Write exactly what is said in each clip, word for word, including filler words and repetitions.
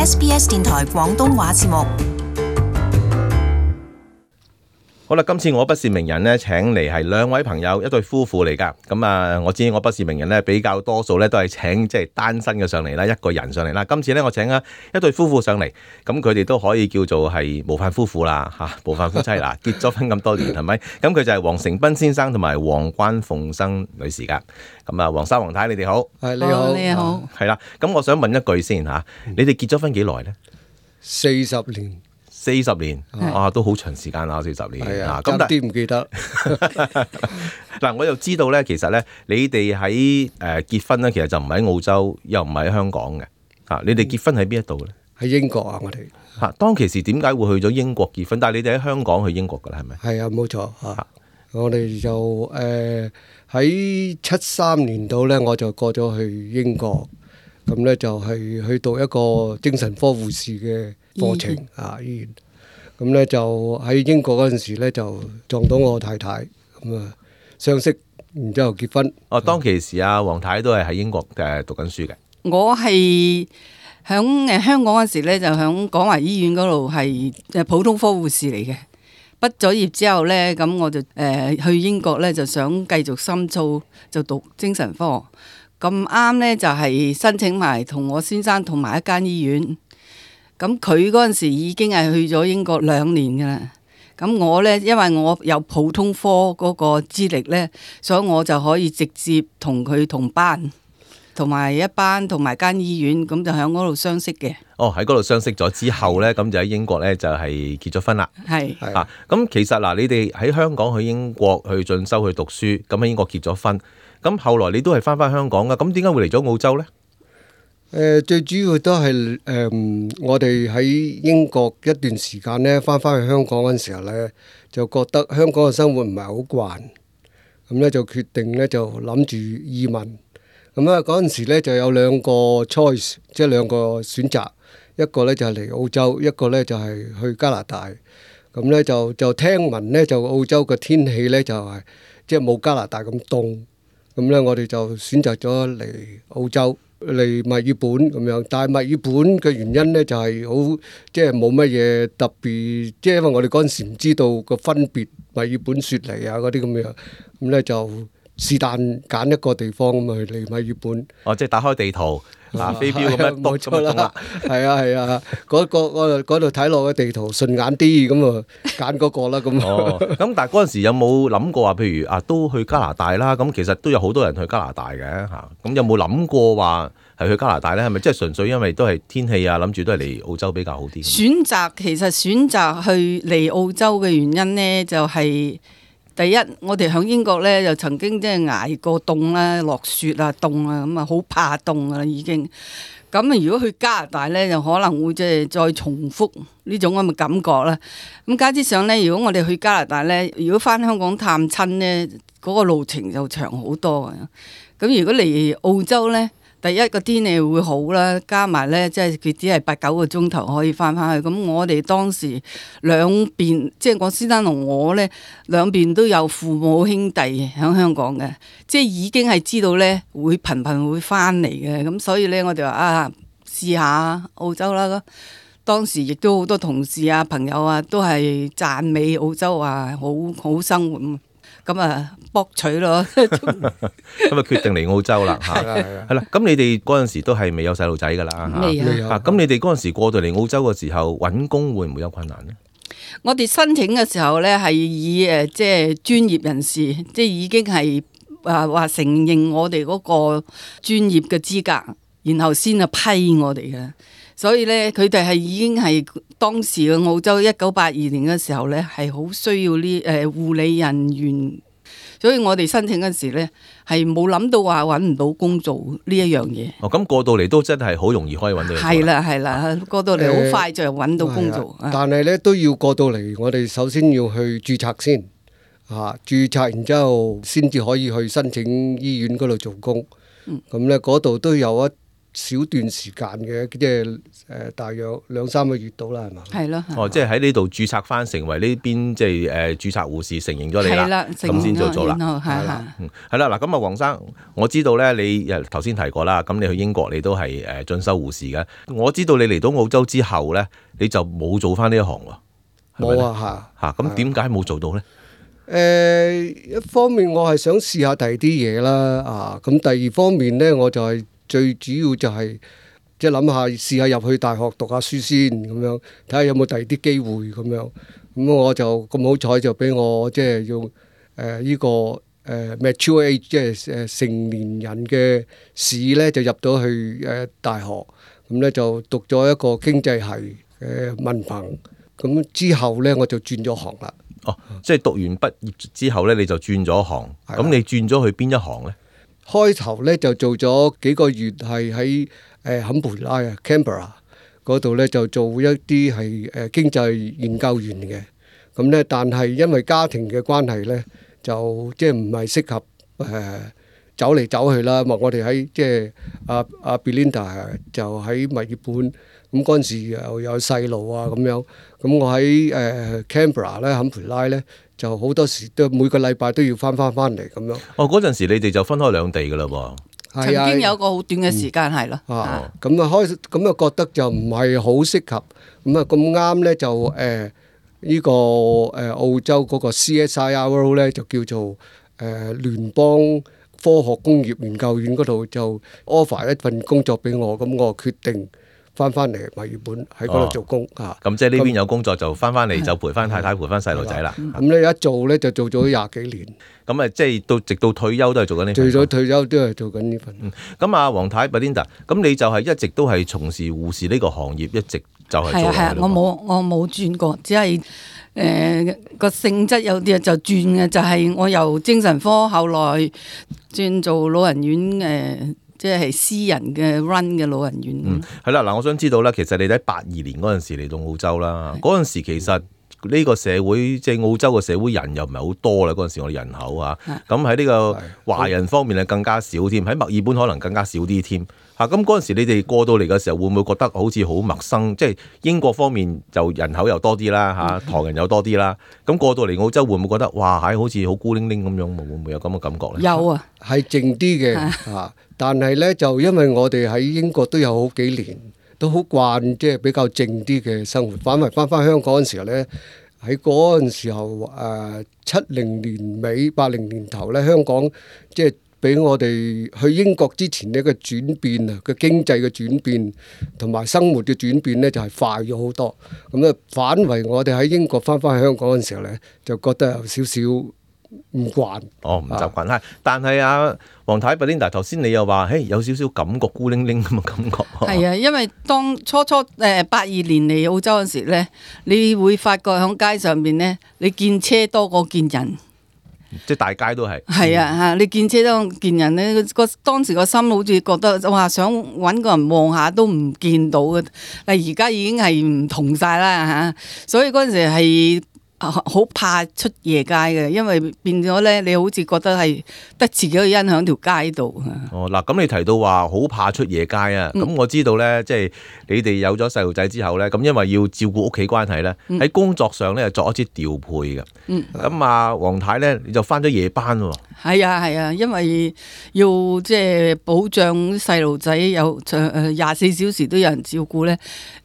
S B S 電台廣東話節目。好啦，今次我不是名人咧，請嚟係兩位朋友，一對夫婦嚟噶。咁啊，我知我不是名人咧，比較多數咧都係請即係單身嘅上嚟啦，一個人上嚟啦。今次咧，我請啊一對夫婦上嚟，咁佢哋都可以叫做係模範夫婦啦，吓模範夫妻啦，結咗婚咁多年係咪？咁佢就係黃成斌先生同埋黃關鳳生女士噶。咁啊，黃生黃太，你哋好。係你好，你好。係啦，咁我想問一句先吓，你哋結咗婚幾耐咧？四十年。四十年，啊，都好長時間啦，四十年。係啊，咁爭啲唔記得。嗱，我又知道咧，其實咧，你哋喺誒結婚咧，其實就唔喺澳洲，又唔喺香港嘅。嚇，你哋結婚喺邊一度咧？喺英國啊，我哋。嚇，當其時點解會去咗英國結婚？但係你哋喺香港去英國㗎啦，係咪？係啊，冇錯嚇。我哋就誒喺七三年度咧，我就過咗去英國，咁咧就係去讀一個精神科護士嘅課程啊，醫院。咁咧就喺英國嗰陣時咧，就撞到我太太，咁啊相識，然之後結婚。哦，當其時啊，黃太都係喺英國誒讀緊書嘅。我係響誒香港嗰時咧，就響廣華醫院嗰度係誒普通科護士嚟嘅。畢咗業之後咧，咁我就誒、呃、去英國咧，就想繼續深造，就讀精神科。咁啱咧就係、是、申請埋同我先生同埋一間醫院。咁佢嗰陣時已經係去咗英國兩年㗎啦。咁我咧，因為我有普通科嗰個資歷咧，所以我就可以直接同佢同班，同埋一班同埋間醫院，咁就喺嗰度相識嘅。哦，喺嗰度相識咗之後咧，咁就喺英國咧就係結咗婚啦。係啊，咁其實嗱，你哋喺香港去英國去進修去讀書，咁喺英國結咗婚，咁後來你都係翻返香港㗎，咁點解會嚟咗澳洲咧？誒、呃、最主要都係誒、呃、我哋喺英國一段時間咧，翻返去香港嗰陣時候咧，就覺得香港嘅生活唔係好慣，咁咧就決定咧就諗住移民。咁啊嗰陣時咧就有兩個 choice，即係兩個選擇，一個咧就係嚟澳洲，一個咧就係去加拿大。咁咧就就聽聞咧就澳洲嘅天氣咧就係即係冇加拿大咁凍，咁咧我哋就選擇咗嚟澳洲。嚟墨爾本咁樣，但係墨爾本嘅原因呢，就係好即係冇乜嘢特別，即係因為我哋嗰陣時唔知道個分別，墨爾本雪梨啊嗰啲咁樣，咁呢就是但揀一個地方咁啊嚟墨爾本。哦，即係打開地圖啊，飛標咁樣篤咁樣啦。係啊係啊，嗰個嗰度睇落嘅地圖順眼啲，咁啊揀嗰個啦咁。哦，咁但係嗰陣時有冇諗過話，譬如啊都去加拿大啦，咁其實都有好多人去加拿大嘅嚇，咁有冇諗過話係去加拿大咧？係咪即係純粹因為都係天氣啊，諗住都係嚟澳洲比較好啲？選擇其實選擇去嚟澳洲嘅原因呢，就係、是、第一，我哋喺英國咧就曾經即係捱過凍啦、落雪啊、凍啊，咁啊好怕凍噶啦已經。咁啊，如果去加拿大咧，就可能會即係再重複呢種咁嘅感覺啦。咁加之上咧，如果我哋去加拿大咧，如果翻香港探親咧，嗰、那個路程就長好多嘅。咁如果嚟澳洲咧，第一個天氣會好啦，加埋咧即係佢只係八九個鐘頭可以翻返去。咁我哋當時兩邊，即係我先生同我咧，兩邊都有父母兄弟喺香港嘅，即係已經係知道咧會頻頻會翻嚟嘅。咁所以咧，我哋話啊，試下澳洲啦。當時亦都好多同事啊、朋友啊，都係讚美澳洲啊，好好生活。咁啊，博取咯，咁啊決定嚟澳洲啦嚇，係啦。咁你哋嗰陣時都係未有細路仔㗎啦嚇，未有啊。咁你哋嗰陣時過到嚟澳洲嘅時候揾工會唔會有困難呢？我哋申請嘅時候咧係以誒即係專業人士，即係已經係啊話承認我哋嗰個專業嘅資格，然後先啊批我哋嘅。所以咧，佢哋係已經係當時嘅澳洲一九八二年嘅時候咧，係好需要呢誒護理人員。所以我哋申請嗰時咧，係冇諗到話揾唔到工做呢一樣嘢。哦，咁過到嚟都真係好容易可以揾到。係啦係啦，過到嚟好快就揾到工做。呃、但係咧都要過到嚟，我哋首先要去註冊先，啊註冊，然之後先至可以去申請醫院嗰度做工。咁咧嗰度都有一小段時間嘅，即係誒大約兩三個月到啦，係嘛？係咯。哦，即係喺呢度註冊翻，成為呢邊即係誒註冊護士，承認咗你啦，係啦，咁先做做啦。係啦。嗯，係啦，嗱，咁啊，黃生，我知道咧，你誒頭先提過啦，咁你去英國你都係誒進修護士嘅。我知道你嚟到澳洲之後咧，你就冇做翻呢一行喎。冇啊，嚇嚇，咁點解冇做到咧？誒，一方面我係想試下第二啲嘢啦，啊，咁第二方面咧，我就係最主要就係即係諗下試下入去大學讀下書先，咁樣睇下有冇第二啲機會咁樣。咁我就咁好彩就俾我即係用誒呢個誒 mature age 即係誒成年人嘅試咧，就入到去誒大學，咁咧就讀咗一個經濟系嘅文憑。咁之後咧我就轉咗行啦。哦，即係讀完畢業之後咧，你就轉咗行。咁你轉咗去邊一行咧？開頭咧就做咗幾個月，係喺誒坎培拉啊 Canberra 嗰度咧就做一啲係誒經濟研究員嘅。咁咧，但係因為家庭嘅關係咧，就即係唔係適合誒、呃、走嚟走去啦。我哋喺即係阿阿 Belinda 就喺墨爾本。咁嗰陣時又有細路啊咁樣，咁我喺誒 Canberra 咧坎培拉咧就好多時都每個禮拜都要翻翻翻嚟咁樣。哦，嗰陣時你哋就分開兩地噶啦喎。曾經有個好短嘅時間係咯。啊，咁啊開咁啊覺得就唔係好適合，咁啊咁啱咧就誒呢個誒澳洲嗰個 C S I R 咧就叫做誒聯邦科學工業研究院嗰度就 offer 一份工作俾我，咁我決定翻翻嚟墨爾本喺嗰度做工啊！咁即係呢邊有工作就翻翻嚟就陪翻太太陪翻細路仔啦。咁咧一做咧就做咗廿幾年。咁啊，即係到直到退休都係做緊呢份。除咗退休都係做緊呢份。咁啊，黃太 Belinda，咁你就係一直都係從事護士呢個行業，一直就係做。係啊係啊，我冇我冇轉過，只係誒個性質有啲就轉嘅，就係、是、我由精神科後來轉做老人院誒。呃即係私人嘅 run 嘅老人院。嗯，係啦，嗱，我想知道咧，其實你喺八二年嗰陣時嚟到澳洲啦，嗰陣時其實呢個社會即係澳洲嘅社會人又唔係好多啦，嗰陣時我哋人口啊，咁喺呢個華人方面係更加少添，喺墨爾本可能更加少啲添。嚇，咁嗰陣時你哋過到嚟嘅時候，會唔會覺得好似好陌生？即係英國方面就人口又多啲啦，嚇，唐人又多啲啦。咁過到嚟澳洲會唔會覺得哇，係好似好孤零零咁樣？會唔會有咁嘅感覺咧？有啊，係靜啲嘅嚇，但係咧就因為我哋喺英國都有好幾年，都好慣即係比較靜啲嘅生活。反為翻翻香港嗰陣時候咧，喺嗰陣時候誒七零年尾八零年頭咧，香港即係俾我哋去英國之前呢個轉變啊，個經濟嘅轉變同埋生活嘅轉變咧，就係快咗好多。咁啊，反為我哋喺英國翻返去香港嗰陣時候咧，就覺得有少少唔慣。哦，唔習慣。係、啊，但係啊，黃太 Belinda 頭先你又話，嘿，有少少感覺孤零零咁嘅感覺。係啊，因為當初初誒八二年嚟澳洲嗰時咧，你會發覺喺街上邊咧，你見車多過見人。即係大街都係，係啊嚇！你見車都見人咧，個當時個心好似覺得哇，想揾個人望下都唔見到嘅。但係而家已經係唔同晒啦嚇，所以嗰陣時係好怕出夜街嘅，因為變咗咧，你好似覺得係得自己一個人喺條街度。哦，嗱，咁你提到話好怕出夜街啊，咁、嗯、我知道咧，即係你哋有咗細路仔之後咧，咁因為要照顧屋企關係咧，喺、嗯、工作上咧作一啲調配嘅。咁、嗯、啊，黃太咧你就返咗夜班喎。係啊係啊，因為要即係保障細路仔有誒廿四小時都有人照顧咧，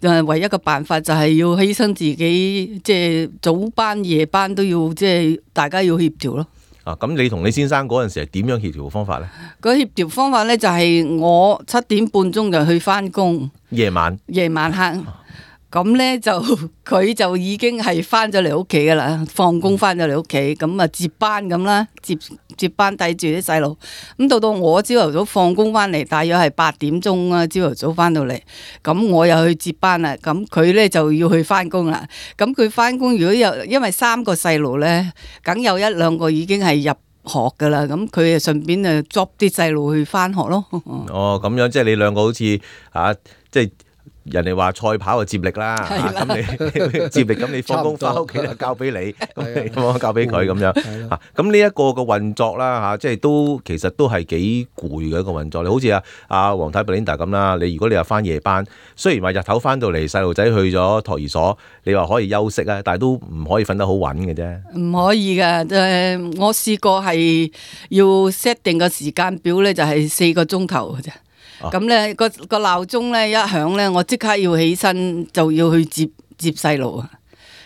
誒唯一嘅辦法就係要犧牲自己，即係早班夜班都要，即係大家要協調咯。啊，咁你同你先生嗰陣時係點樣協調方法咧？個協調方法咧就係我七點半鐘就去返工，夜晚夜晚黑。咁咧就佢就已經係翻咗嚟屋企噶啦，放工翻咗嚟屋企，咁啊接班咁啦，接接班帶住啲細路。咁到到我朝頭早放工翻嚟，大約係八點鐘啊，朝頭早翻到嚟，咁我又去接班啦。咁佢咧就要去翻工啦。咁佢翻工如果有，因為三個細路咧，梗有一兩個已經係入學噶啦。咁佢啊順便啊捉啲細路去翻學咯。哦，咁樣即係你兩個好似啊，即係。人哋話賽跑就接力啦，咁你接力咁你放工翻屋企就交俾你，咁你放交俾佢咁樣嚇。咁呢一個嘅運作啦嚇，即係都其實都係幾攰嘅一個運作。你好似阿阿黃太 Belinda 咁啦，你如果你又翻夜班，雖然話日頭翻到嚟細路仔去咗托兒所，你話可以休息啊，但係都唔可以瞓得好穩嘅啫。唔可以㗎，誒，我試過係要 set 定個時間表咧，就係四個鐘頭嘅啫。咁咧個個鬧鐘咧一響咧，我即刻要起身就要去接接細路啊！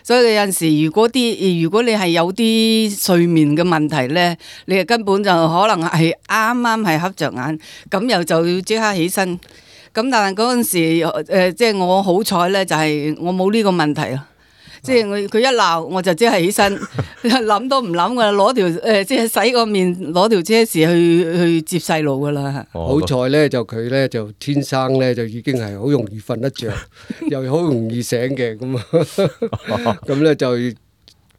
所以有陣時，如果啲如果你係有啲睡眠嘅問題咧，你係根本就可能係啱啱係瞌着眼，咁又就要即刻起身。咁但係嗰陣時誒，即係我好彩咧，就係我冇呢個問題咯。即係佢佢一鬧我就即係起身，諗都唔諗噶啦，攞條誒即係洗個面，攞條車匙去去接細路噶啦。好彩咧就佢咧就天生咧就已經係好容易瞓得着，又好容易醒嘅咁啊，咁咧就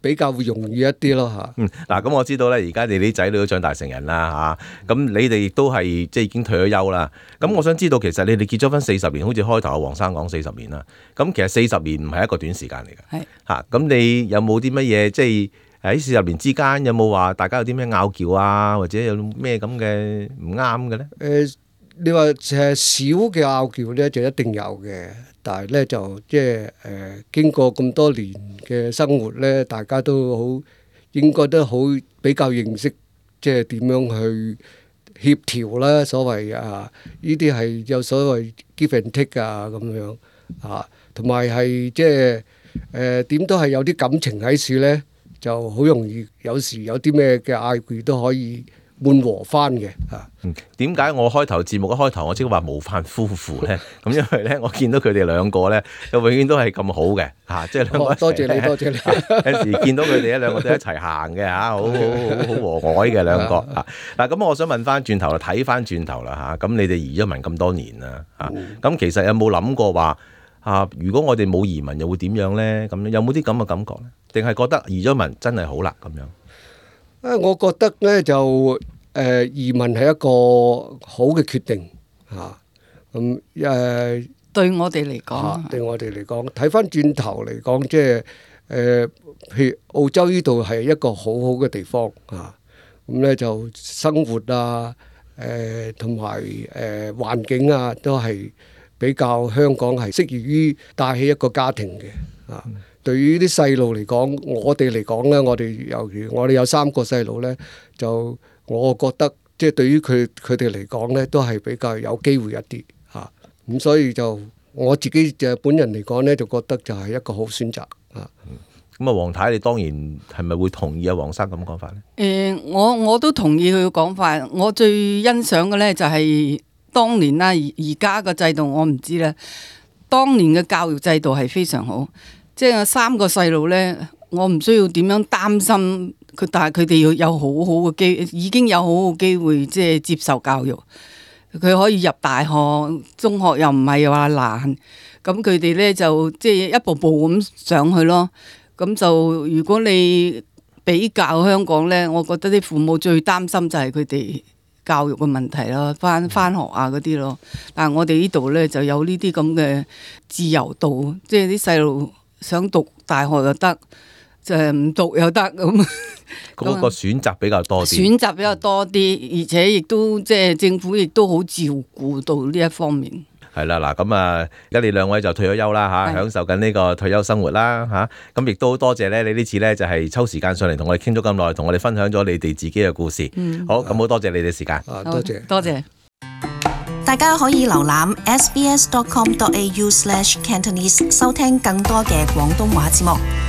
比較會容易一啲咯嚇。嗯，嗱咁我知道咧，而家你啲仔女都長大成人啦嚇，咁你哋亦都係即係已經退咗休啦。咁我想知道，其實你哋結咗婚四十年，好似開頭阿黃生講四十年啦。咁其實四十年唔係一個短時間嚟嘅。係嚇，咁你有冇啲乜嘢即係喺四十年之間有冇話大家有啲咩拗撬啊，或者有咩咁嘅唔啱嘅咧？誒，你話誒少嘅拗撬咧就一定有嘅。但係咧就即係誒經過咁多年嘅生活咧，大家都好應該都好比較認識，即係點樣去協調啦。所謂啊，呢啲係有所謂 give and take 啊咁樣啊，同埋係即係誒點都係有啲感情喺處咧，就好容易有時有啲咩嘅嗌交都可以緩和翻嘅嚇。嗯，點解我開頭節目一開頭我即係話模範夫婦咧？咁因為咧，我見到佢哋兩個咧，就永遠都係咁好嘅嚇，即係兩個、哦。多謝你，多謝你。有時見到佢哋一兩個都一齊行嘅嚇，好好好好和藹嘅兩個嚇。嗱，咁我想問翻轉頭啦，睇翻轉頭啦嚇，咁你哋移咗民咁多年啦嚇，咁、嗯、其實有冇諗過話啊？如果我哋冇移民又會點樣咧？咁有冇啲咁嘅感覺咧？定係覺得移咗民真係好啦咁樣？啊，我覺得咧就誒、呃、移民係一個好嘅決定嚇。咁、啊、誒、呃、對我哋嚟講、啊，對我哋嚟講，睇翻轉頭嚟講，即係誒譬如澳洲呢度係一個好好嘅地方嚇。咁、啊、咧就生活啊，誒同埋誒環境啊，都係比較香港係適宜於帶起一個家庭嘅啊。嗯對於啲細路嚟講，我哋嚟講咧，我哋尤其我哋有三個細路咧，就我覺得即係對於佢佢哋嚟講咧，都係比較有機會一啲嚇。咁、啊、所以就我自己就本人嚟講咧，就覺得就係一個好選擇啊。咁啊，黃太，你當然係咪會同意阿黃生咁講法咧？誒、呃，我我都同意佢嘅講法。我最欣賞嘅咧就係當年啦，而而家嘅制度我唔知咧。當年嘅教育制度係非常好。即係三個細路咧，我唔需要點樣擔心佢，但係佢哋要有好好嘅機，已經有好好嘅機會，即係接受教育。佢可以入大學、中學又唔係話難，咁佢哋咧就即係一步步咁上去咯。咁就如果你比較香港咧，我覺得啲父母最擔心就係佢哋教育嘅問題咯，翻翻學啊嗰啲咯。但係我哋呢度咧就有呢啲咁嘅自由度，即係啲細路想讀大學又得，就係唔讀又得咁。嗰個選擇比較多啲，選擇比較多啲，而且亦都即係政府亦都好照顧到呢一方面。係啦，嗱咁啊，而家你兩位就退咗休啦嚇，享受緊呢個退休生活啦嚇。咁亦都好多謝咧，你呢次咧就係抽時間上嚟同我哋傾咗咁耐，同我哋分享咗你哋自己嘅故事。嗯、好，咁好多謝你哋時間。啊，多謝，多謝。大家可以瀏覽 s b s dot com dot a u slash cantonese 收聽更多嘅廣東話節目。